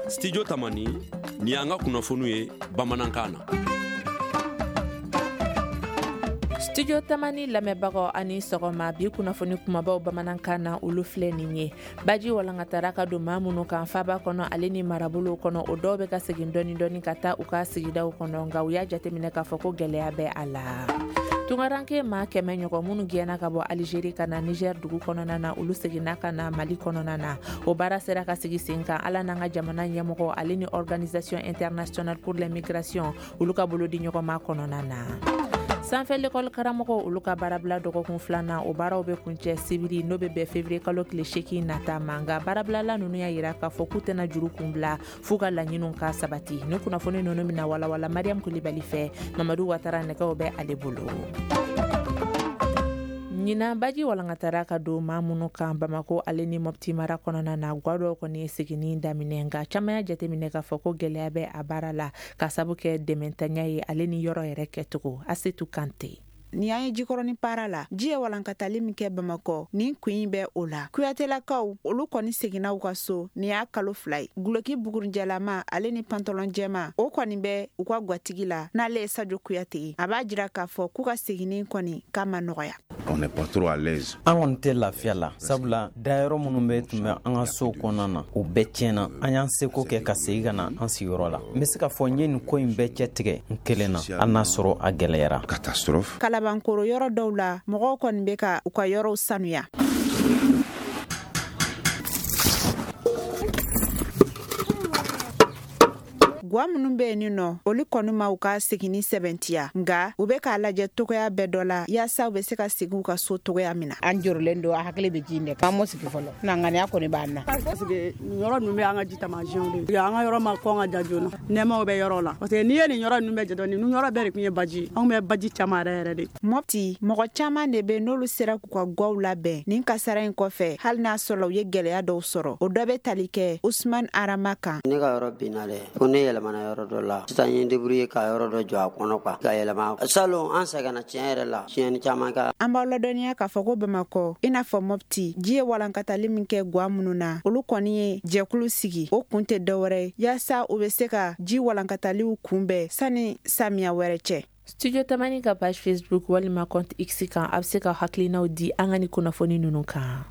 Studio Tamani nin y'an ka kunnafoniw ye bamanankan na. Studio Tamani lamɛnbagaw a ni sɔgɔma. Bi kunnafoni kumabaw bamanankan na, olu filɛ nin ye: baji walankatara ka don maa minnu kan faba kɔnɔ ale ni marabolow kɔnɔ, o dɔw bɛ ka segin dɔɔni dɔɔni ka taa u ka sigidaw kɔnɔ, nka u y'a jateminɛ k'a fɔ ko gɛlɛya bɛ a la. Tungaranke maa 100 ɲɔgɔn minnu gɛnna ka bɔ Alizeri ka na Niger dugu kɔnɔna na, olu seginna ka na Mali kɔnɔna na. O baara sera ka sigi sen kan Ala n'an ka jamana ɲɛmɔgɔ ale ni Organisation internationale pour les migrations olu ka bolo di ɲɔgɔnma kɔnɔna na. Sanfɛ lekɔli karamɔgɔ olu ka baarabila dɔgɔkun filanan, o baaraw bɛ kuncɛ sibiri, n'o bɛ bɛn février kalo tile 8 nata ma. Nka baarabilala ninnu y'a yira k'a fɔ k'u tɛna juru kun bila f'u ka laɲiniw ka sabati. Ni kunnafoni ninnu bɛna walawala Mariam Kulibali fɛ. Mamadu Watara nɛgɛw bɛ ale bolo. Ɲinan, baji walankatara ka don maa minnu kan Bamako ale ni Mɔpti mara kɔnɔna na, gwa dɔw kɔni ye seginni daminɛ, nka caman y'a jateminɛ k'a fɔ ko gɛlɛya bɛ a baara la ka sabu kɛ dɛmɛntanya ye ale ni yɔrɔ yɛrɛ kɛcogo. Asetu Kante. Ni an ye Jikɔrɔni para la, ji ye walankatali min kɛ Bamakɔ, nin kun in bɛ o la. Kuyatelakaw olu kɔni seginna u ka so nin y'a kalo 2 ye. Guloki bugurijɛlama ale ni pantɔlɔn jɛma, o kɔni bɛ u ka gwatigi la, n'ale ye Sajo Kuyate ye. A b'a jira k'a fɔ k'u ka seginni kɔni k'a ma nɔgɔya. On n'est pas trop à l'aise. An kɔni tɛ lafiya la, sabula dayɔrɔ minnu bɛ tun bɛ an ka sow kɔnɔna na, o bɛɛ tiɲɛna. An y'an seko kɛ ka segin ka na an sigiyɔrɔ la. N bɛ se k'a fɔ n ye nin ko in bɛɛ cɛ tigɛ n kelen na, hali n'a sɔrɔ a gɛlɛyara. Catastrophe. Kalabankoro yɔrɔ dɔw la, mɔgɔw kɔni bɛ ka u ka yɔrɔw sanuya. Gwa minnu bɛ yen nɔ, olu kɔni ma u ka seginni sɛbɛntiya, nka u bɛ k'a lajɛ togoya bɛɛ dɔ la yaasa u bɛ se ka segin u ka so togoya min na. An jɔrɔlen don, a hakili bɛ ji in de kan. An m'o sigi fɔlɔ na, ŋaniya kɔni b'an na. Parce que nin yɔrɔ ninnu bɛ an ka ji taamasiyɛnw de ye. An ka yɔrɔ ma kɔn ka ja joona, nɛɛmaw bɛ yɔrɔ la, parce que n'i ye nin yɔrɔ ninnu bɛɛ jate, ninnu yɔrɔ bɛɛ de tun ye baji ye. Anw bɛ baji caman yɛrɛ yɛrɛ de. Mɔpti, mɔgɔ caman de bɛ n'olu sera k'u ka gwaw labɛn nin kasara in kɔfɛ, hali n'a sɔrɔ u ye gɛlɛya dɔw sɔrɔ. O dɔ bɛ tali kɛ Usman Arama kan. Ne ka yɔrɔ binna dɛ, fo ne yɛlɛmana yɔrɔ dɔ la. Sisan n ye débrouiller ka yɔrɔ dɔ jɔ a kɔnɔ quoi, ka yɛlɛma. Salon, an sɛgɛnna tiɲɛ yɛrɛ la, tiɲɛni caman kɛ. An b'aw ladɔnniya k'a fɔ ko Bamakɔ, i n'a fɔ Mɔpti, ji ye walankatali min kɛ gwa minnu na, olu kɔni ye jɛkulu sigi. O kun tɛ dɔwɛrɛ ye yaasa u bɛ se ka ji walankataliw kunbɛn sani samiya wɛrɛ cɛ. Studio Tamani ka page Facebook walima compte X kan, a bɛ se ka hakilinaw di an ka ni kunnafoni ninnu kan.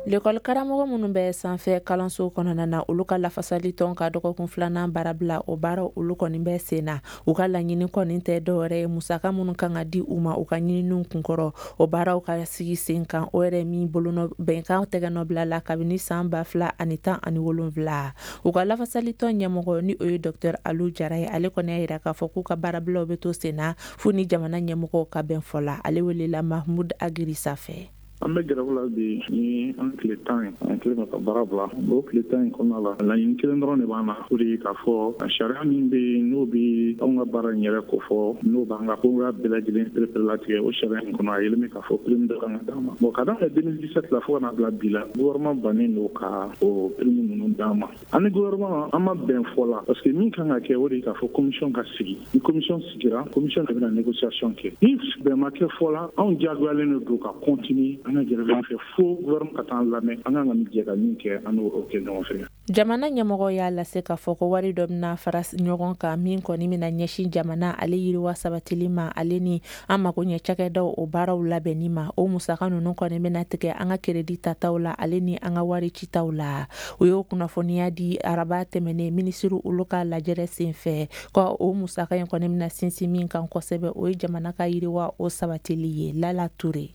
Lekɔli karamɔgɔ minnu bɛ sanfɛ kalanso kɔnɔna na, olu ka lafasali tɔn ka dɔgɔkun filanan baarabila, o baara olu kɔni bɛ sen na. U ka laɲini kɔni tɛ dɔwɛrɛ ye musaka minnu kan ka di u ma u ka ɲininiw kunkɔrɔ, o baaraw ka sigi sen kan, o yɛrɛ min bolonɔ bɛnkan tɛgɛnɔbila la kabini san 2017. U ka lafasalitɔn ɲɛmɔgɔ, ni o ye Dr Alu Jara ye, ale kɔni y'a yira k'a fɔ k'u ka baarabilaw bɛ to sen na fo ni jamana ɲɛmɔgɔw ka bɛn fɔ la. Ale welela Mahmud Agirisa fɛ. An bɛ grève la bi ni an tile 10 ye, an kɛlen ka baara bila. O tile 10 in kɔnɔna la, laɲini kelen dɔrɔn de b'an na, o de ye k'a fɔ sariya min bɛ yen, n'o bɛ anw ka baara in yɛrɛ kofɔ, n'o b'an ka kogoya bɛɛ lajɛlen pereperelatigɛ, o sariya in kɔnɔ, a yelen bɛ k'a fɔ prime dɔ kan ka d'an ma. Bon, ka daminɛ 2017 la fo ka na bila bi la, gouvernement bannen don ka o prime ninnu d'an ma. An ni gouvernement, an ma bɛn fɔ la, parce que min kan ka kɛ, o de ye k'a fɔ commission ka sigi. Ni commission sigira, commission de bɛna négociation kɛ. Ni bɛn ma kɛ fɔ la, anw diyagoyalen de don ka continuer an ka grève fɛ fo gouvernement ka taa an lamɛn. An kan ka min jɛ ka min kɛ, an n'o kɛ ɲɔgɔn fɛ. Jamana ɲɛmɔgɔ y'a lase k'a fɔ ko wari dɔ bɛna fara ɲɔgɔn kan min kɔni bɛna ɲɛsin jamana ale yiriwa sabatili ma ale ni an mako ɲɛ cakɛdaw o baaraw labɛnni ma. O musaka ninnu kɔni bɛna tigɛ an ka keredi tataw la ale ni an ka wari citaw la. U y'o kunnafoniya di araba tɛmɛnen minisiriw olu ka lajɛrɛ sen fɛ, ko o musaka in kɔni bɛna sinsin min kan kosɛbɛ, o ye jamana ka yiriwa o sabatili ye. Lala Ture.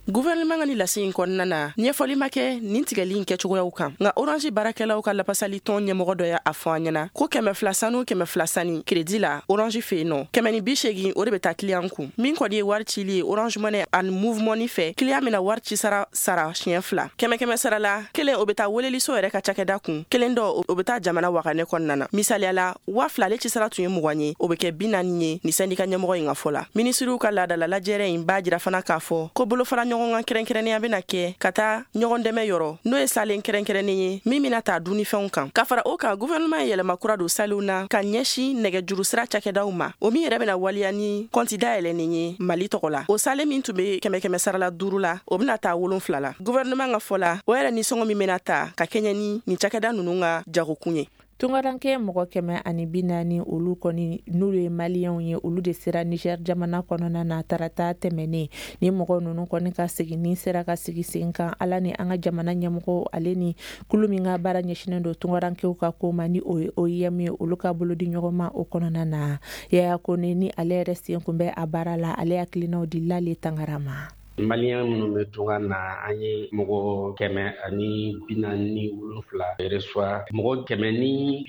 Gouvernement ka ni lase in kɔnɔna na, ɲɛfɔli ma kɛ nin tigɛli in kɛcogoyaw kan, nka Orange baarakɛlaw ka lapasali tɔn ɲɛmɔgɔ dɔ y'a fɔ an ɲɛna ko 200 sanu, 200 sani crédit la Orange fɛ yen nɔ, 180, o de bɛ taa client kun. Min kɔni ye wari cili ye Orange Money ani Moov Money fɛ, client bɛna wari ci sara sara siɲɛ fila: kɛmɛ kɛmɛ sara la kelen, o bɛ taa weleliso yɛrɛ ka cakɛda kun, kelen dɔ, o bɛ taa jamana waganɛ kɔnɔna na. Misaliya la, 2000, ale ci sara tun ye 20 ye, o bɛ kɛ 40 ye, ni syndicat ɲɛmɔgɔ in ka fɔ la. Minisiriw ka laadala lajɛrɛ in b'a jira fana k'a fɔ ko bolofara ɲɔgɔn ɲɔgɔn kan kɛrɛnkɛrɛnnenya bɛna kɛ ka taa ɲɔgɔn dɛmɛ yɔrɔ, n'o ye salen kɛrɛnkɛrɛnnen ye min bɛna ta dunnifɛnw kan. Ka fara o kan, gouvernement ye yɛlɛma kura don saliw na ka ɲɛsin nɛgɛjuru sira cakɛdaw ma, o min yɛrɛ bɛna waleya ni kɔnti dayɛlɛnnen ye Mali tɔgɔ la. O salen min tun bɛ 100 100 sara la 5 la, o bɛna taa 7 la. Gouvernement ka fɔ la, o yɛrɛ nisɔngɔ min bɛna ta ka kɛɲɛ ni nin cakɛda ninnu ka jagokun ye. Tungaranke mɔgɔ 140, olu kɔni n'olu ye Maliyɛnw ye, olu de sera Niger jamana kɔnɔna na tarata tɛmɛnen. Ni mɔgɔ ninnu kɔni ka seginni sera ka sigi sen kan, Ala ni an ka jamana ɲɛmɔgɔw, ale ni kulu min ka baara ɲɛsinen don tungarankew ka ko ma, ni o ye OIM ye, olu ka bolodi ɲɔgɔn ma o kɔnɔna na. Yaya Kone, ni ale yɛrɛ sen kun bɛ a baara la, ale hakilinaw di Lale Tangara ma. Maliyɛn minnu bɛ tunga na, an ye mɔgɔ 147 reçoit. Mɔgɔ 147 nin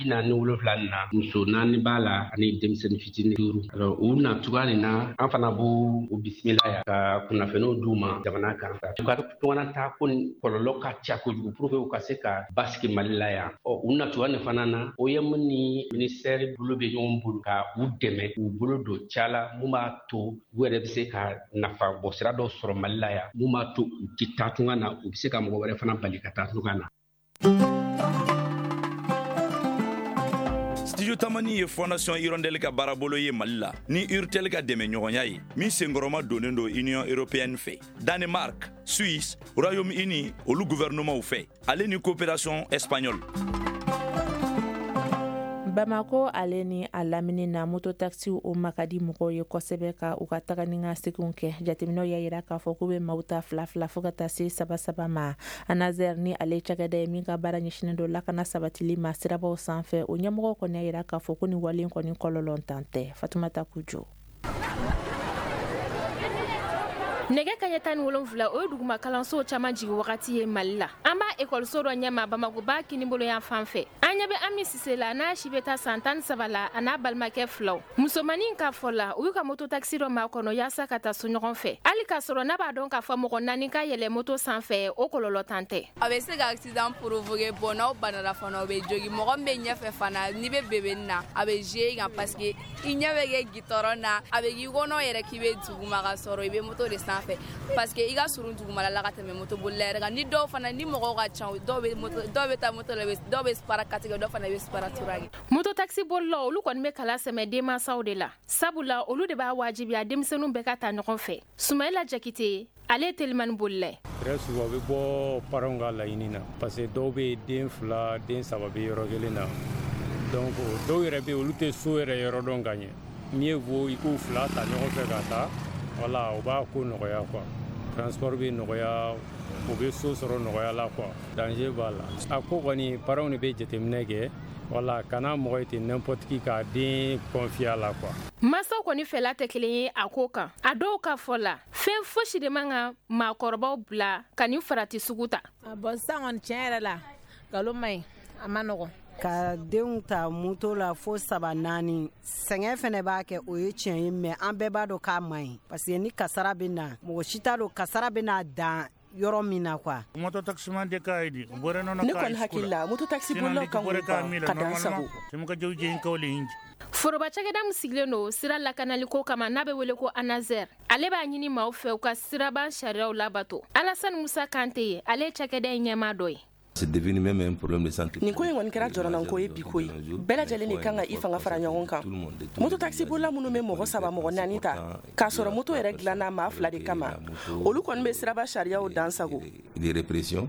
na, muso naani b'a la ani denmisɛnnin fitinin duuru. Alors, u na cogoya nin na, an fana b'u u bisimila yan ka kunnafoniw d'u ma jamana kan. U ka tungana taa ko ni kɔlɔlɔ ka ca kojugu, pour que u ka se ka basigi Mali la yan. Ɔ, u na cogoya nin fana na, OIM ni ministère bolo bɛ ɲɔgɔn bolo ka u dɛmɛ k'u bolo don ca la, mun b'a to u yɛrɛ bɛ se ka nafa bɔ sira dɔ sɔrɔ Mali la yan, mun b'a to u tɛ taa tunga na, u bɛ se ka mɔgɔ wɛrɛ fana bali ka taa tunga na. Studio Tamani ye Fondation Hirondelle ka baarabolo ye Mali la ni Urtel ka dɛmɛ ɲɔgɔnya ye, min senkɔrɔma donnen don Union européenne fɛ, Danemark, Suisse, Royaume-Uni, olu gouvernementw fɛ, ale ni coopération espagnole. Bamako ale ni a lamini na, moto taxiw o ma ka di mɔgɔw ye kosɛbɛ ka u ka taga ni ka seginw kɛ. Jateminɛw y'a yira k'a fɔ k'u bɛ maaw ta fila fila fo ka taa se saba saba ma. ANASER, ni ale cakɛda ye min ka baara ɲɛsinen don lakana sabatili ma sirabaw sanfɛ, o ɲɛmɔgɔ kɔni y'a yira k'a fɔ ko nin wale kɔni kɔlɔlɔntan tɛ. Fatumata Kujo. Nɛgɛ kaɲɛ 17, o ye duguma kalansow caman jigi wagati ye Mali la. An b'a ekɔliso dɔ ɲɛma Bamakoba kinibolo yan fan fɛ. An ɲɛ bɛ Ami Sise la, n'a si bɛ taa san 13 la, a n'a balimakɛ filaw. Musomanin ka fɔ la, u y'u ka moto taxi dɔ makɔnɔ yaasa ka taa so ɲɔgɔn fɛ, hali k'a sɔrɔ n'a b'a dɔn k'a fɔ mɔgɔ naani ka yɛlɛ moto sanfɛ, o kɔlɔlɔ tan tɛ. A bɛ se ka accident provoquer. Bon, n'aw banana fana, o bɛ jogi mɔgɔ min bɛ ɲɛfɛ fana. N'i bɛ bébé na, a bɛ jouer i kan, parce que i ɲɛ bɛ kɛ goudron na, a bɛ k'i kɔnɔ yɛrɛ k'i bɛ duguma, ka sɔrɔ i bɛ moto de sanfɛ, parce que i ka surun dugumala la ka tɛmɛ moto bolila yɛrɛ kan. Ni dɔw fana, ni mɔgɔw ka ca, dɔw bɛ moto, dɔw bɛ taa moto la, dɔw bɛ para quatre kɛ, dɔw fana bɛ para trois kɛ. Moto taxi bolilaw, olu kɔni bɛ kala sɛmɛ denmansaw de la, sabula olu de b'a wajibiya denmisɛnninw bɛɛ ka ta ɲɔgɔn fɛ. Sumayila Jakite, ale ye telimani bolila ye. Très souvent, u bɛ bɔ parents ka laɲini na, parce que dɔw bɛ den fila, den saba bɛ yɔrɔ kelen na. Donc dɔw yɛrɛ bɛ yen, olu tɛ so yɛrɛ yɔrɔ dɔn ka ɲɛ. Mieux vaut i k'u fila ta ɲɔgɔn fɛ ka taa. Wala o b'a ko nɔgɔya quoi, transport bɛ nɔgɔya, u bɛ so sɔrɔ nɔgɔya la quoi. Danger b'a la. A ko kɔni, parents de bɛ jateminɛ kɛ. Wala kana mɔgɔ ye ten n'importe qui k'a den confier a la quoi. Masaw kɔni fɛla tɛ kelen ye a ko kan. A dɔw ka fɔ la, fɛn fosi de man ka maakɔrɔbaw bila ka nin farati sugu ta. Bon, sisan kɔni, tiɲɛ yɛrɛ la, nkalon man ɲi, a ma nɔgɔn. Ka denw ta moto la fo saba naani, sɛgɛn fɛnɛ b'a kɛ, o ye tiɲɛ ye, mais an bɛɛ b'a dɔn k'a man ɲi, parce que ni kasara bɛ na, mɔgɔ si t'a dɔn kasara bɛ na dan yɔrɔ min na quoi. Moto taximan de ka idi bore nono. Ne kɔni hakili la, moto taxi bolilaw kan k'u ban ka dan sago. Foroba cakɛda min sigilen don sira lakanaliko kama, n'a bɛ wele ko ANASER, ale b'a ɲini maaw fɛ u ka siraban sariyaw labato. Alasani Musa Kante ye, ale ye cakɛda in ɲɛmaa dɔ ye. C'est devenu même un problème de santé. Nin ko in kɔni kɛra jɔrɔnanko ye bi koyi. Bɛɛ lajɛlen de kan ka i fanga fara ɲɔgɔn kan. Moto taxi bolila minnu bɛ mɔgɔ saba, mɔgɔ naani ta, k'a sɔrɔ moto yɛrɛ dilanna maa fila de kama, olu kɔni bɛ siraba sariyaw dan sago. De répression.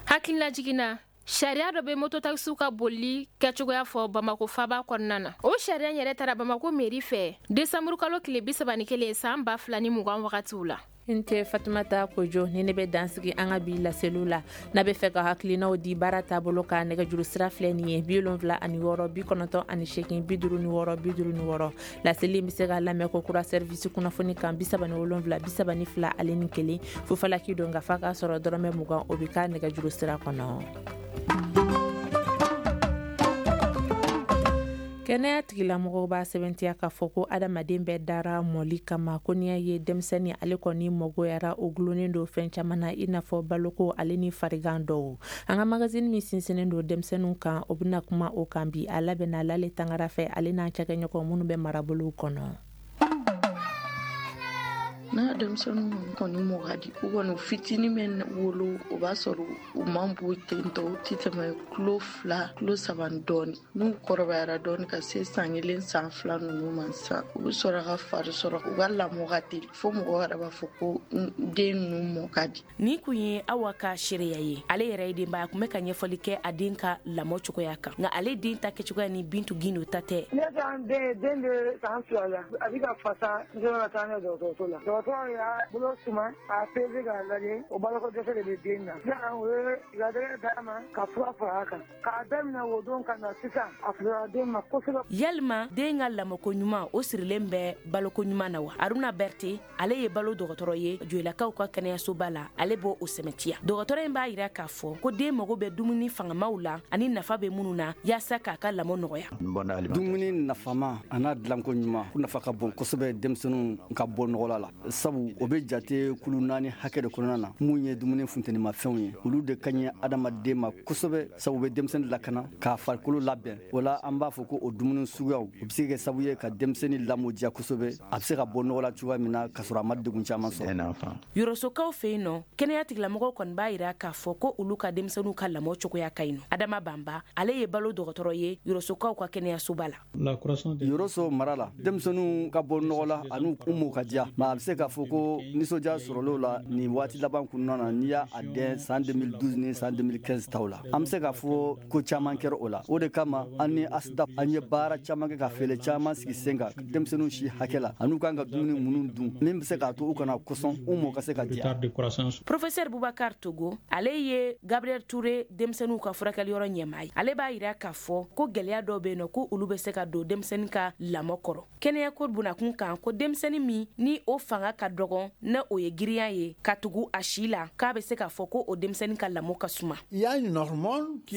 Hakilina jiginna, sariya dɔ bɛ mototaxi ka bolili kɛcogoya fɔ Bamako faba kɔnɔna na. O sariya yɛrɛ taara Bamako mairie fɛ desanburu kalo tile 31 san 2020 wagatiw la. N tɛ Fatumata Kojo ni ne bɛ dansigi an ka bi laseliw la. N'a bɛ fɛ ka hakilinaw di baara taabolo ka, nɛgɛjuru sira filɛ nin ye: 76 98 56 56. Laseli bɛ se ka lamɛn ko kura service kunnafoni kan 77 32 ale ni 1 fufalaki don, ka fa k'a sɔrɔ dɔrɔmɛ 20, o bɛ ka nɛgɛjuru sira kɔnɔ. Kɛnɛya tigilamɔgɔw b'a sɛbɛntiya k'a fɔ ko adamaden bɛɛ dara mɔli kama, ko n'i y'a ye denmisɛnnin ale kɔni mɔgoyara, o gulonnen don fɛn caman na, i n'a fɔ baloko ale ni farigan dɔw. An ka magazine min sinsinnen don denmisɛnninw kan, o bɛna kuma o kan bi. A labɛnna Lale Tangara fɛ, ale n'an cakɛɲɔgɔn minnu bɛ marabolow kɔnɔ. N'a An ka denmisɛnninw kɔni mɔ ka di. U kɔni fitinin bɛ wolo, o b'a sɔrɔ u man bon ten tɔ, u tɛ tɛmɛ kilo 2, kilo 3 dɔɔni. N'u kɔrɔbayara dɔɔni ka se san 1, san 2 ninnu ma sisan, u bɛ sɔrɔ ka fari sɔrɔ, u ka lamɔ ka teli fo mɔgɔ yɛrɛ b'a fɔ ko den ninnu mɔ ka di. Nin kun ye Awa ka seereya ye. Ale yɛrɛ ye denbaya, a kun bɛ ka ɲɛfɔli kɛ a den ka lamɔ cogoya kan, nka ale den ta kɛcogoya ni Bintu Gindo ta tɛ. Ne ka den bɛ san 2 la, a bɛ ka fasa, n sera ka taa n'a ye dɔgɔtɔrɔso la. Dɔgɔtɔrɔ y'a bolo suma k'a pese k'a lajɛ, o baloko dɛsɛ de bɛ den na. Sisan o ye laadɛgɛ d'a ma ka fura fara a kan. K'a daminɛ o don ka na sisan, a fisayara den ma kosɛbɛ. Yalima den ka lamɔko ɲuman, o sirilen bɛ baloko ɲuman na wa? Aruna Berete, ale ye balo dɔgɔtɔrɔ ye Joyilakaw ka kɛnɛyasoba la, ale b'o sɛmɛtiya. Dɔgɔtɔrɔ in b'a yira k'a fɔ ko den mago bɛ dumuni fangamaw la ani nafa bɛ minnu na yaasa k'a ka lamɔ nɔgɔya. Dumuni nafama a n'a dilanko ɲuman, ko nafa ka bon kosɛbɛ denmisɛnninw ka bɔ nɔgɔla la, sabu o bɛ jate kulu 4 hakɛ de kɔnɔna na. Mun ye dumuni funtenimafɛnw ye, olu de ka ɲi adamaden ma kosɛbɛ, sabu bɛ denmisɛnnin lakana k'a farikolo labɛn. O la an b'a fɔ ko o dumuni suguyaw, o bɛ se ka kɛ sababu ye ka denmisɛnnin lamɔ diya kosɛbɛ, a bɛ se ka bɔ nɔgɔ la cogoya min na k'a sɔrɔ a ma degun caman sɔrɔ. Yɔrɔsokaw fɛ yen nɔ, kɛnɛya tigilamɔgɔw kɔni b'a yira k'a fɔ ko olu ka denmisɛnninw ka lamɔ cogoya ka ɲi nɔ. Adama Banba, ale ye balo dɔgɔtɔrɔ ye Yɔrɔsokaw ka kɛnɛyasoba la. Yɔrɔso mara la, denmisɛnninw ka bɔ nɔgɔ la ani u mɔ ka diya, mais a bɛ se k'a fɔ ko nisɔndiya sɔrɔla la nin waati laban kɔnɔna na. N'i y'a dɛn san 2012 ni san 2015 taw la, an bɛ se k'a fɔ ko caman kɛra o la. O de kama an ni ASDAP an ye baara caman kɛ ka fɛɛrɛ caman sigi sen kan denmisɛnninw si hakɛ la ani u kan ka dumuni minnu dun min bɛ se k'a to u kana kɔsɔn, u mɔ ka se ka diya. Professeur Boubacar Togo, ale ye Gabriel Touré denmisɛnninw ka furakɛliyɔrɔ ɲɛmaa ye. Ale b'a yira k'a fɔ ko gɛlɛya dɔw bɛ yen nɔ, ko olu bɛ se ka don denmisɛnnin ka lamɔ kɔrɔ. Kɛnɛyako bunakun kan, ko denmisɛnnin min ni o fanga ka dɔgɔn, na o ye girinya ye ka tugu a si la, k'a bɛ se k'a fɔ ko o denmisɛnnin ka lamɔ ka suma.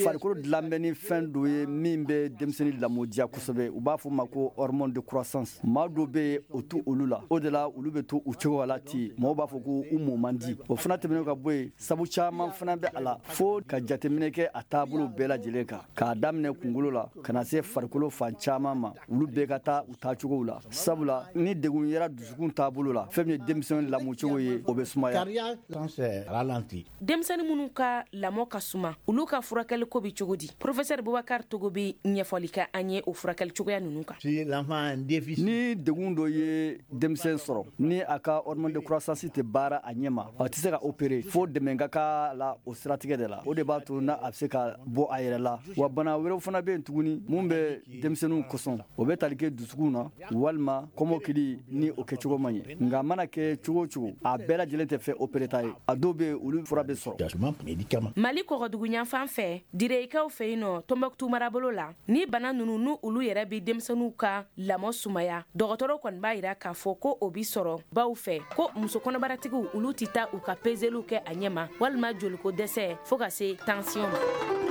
Farikolo dilan bɛ ni fɛn dɔ ye min bɛ denmisɛnnin lamɔ diya kosɛbɛ, u b'a fɔ ma ko hormone de croissance. Maa dɔw bɛ yen, o t'u olu la, o de la olu bɛ to u cogo la ten, mɔgɔw b'a fɔ ko u mɔ man di. O fana tɛmɛnen ka bɔ yen, sabu caman fana bɛ a la fo ka jateminɛ kɛ a taabolo bɛɛ lajɛlen kan, k'a daminɛ kunkolo la ka na se farikolo fan caman ma, olu bɛɛ ka taa u taacogow la. Sabula ni degun yera dusukun taabolo la, fɛn min ye denmisɛnnin lamɔcogo ye, o bɛ sumaya. Denmisɛnnin minnu ka lamɔ ka suma, olu ka furakɛli ko bɛ cogo di? Professeur Boubacar Togo bɛ ɲɛfɔli kɛ an ye o furakɛli cogoya ninnu kan. Ni degun dɔ ye denmisɛn sɔrɔ, ni a ka hormone de croissance tɛ baara a ɲɛ ma, a tɛ se ka opérer fo dɛmɛ ka k'a la o siratigɛ de la. O de b'a to n'a a bɛ se ka bɔ a yɛrɛ la. Wa bana wɛrɛw fana bɛ yen tuguni mun bɛ denmisɛnninw kɔsɔn, o bɛ tali kɛ dusukun na walima kɔmɔkili ni o kɛcogo man ɲɛ. Nka a mana kɛ cogo o cogo, a bɛɛ lajɛlen tɛ fɛ opéré ta ye, a dɔw bɛ yen olu fura bɛ sɔrɔ. Mali kɔgɔdugu yanfan fɛ, Direyikaw fɛ yen nɔ, Tɔnbɔkutu marabolo la, ni bana ninnu n'u olu yɛrɛ bɛ denmisɛnninw ka lamɔ sumaya, dɔgɔtɔrɔw kɔni b'a yira k'a fɔ ko o bi sɔrɔ baw fɛ, ko muso kɔnɔbaratigiw olu tɛ taa u ka peseliw kɛ a ɲɛ ma, walima joliko dɛsɛ fo ka se tension ma.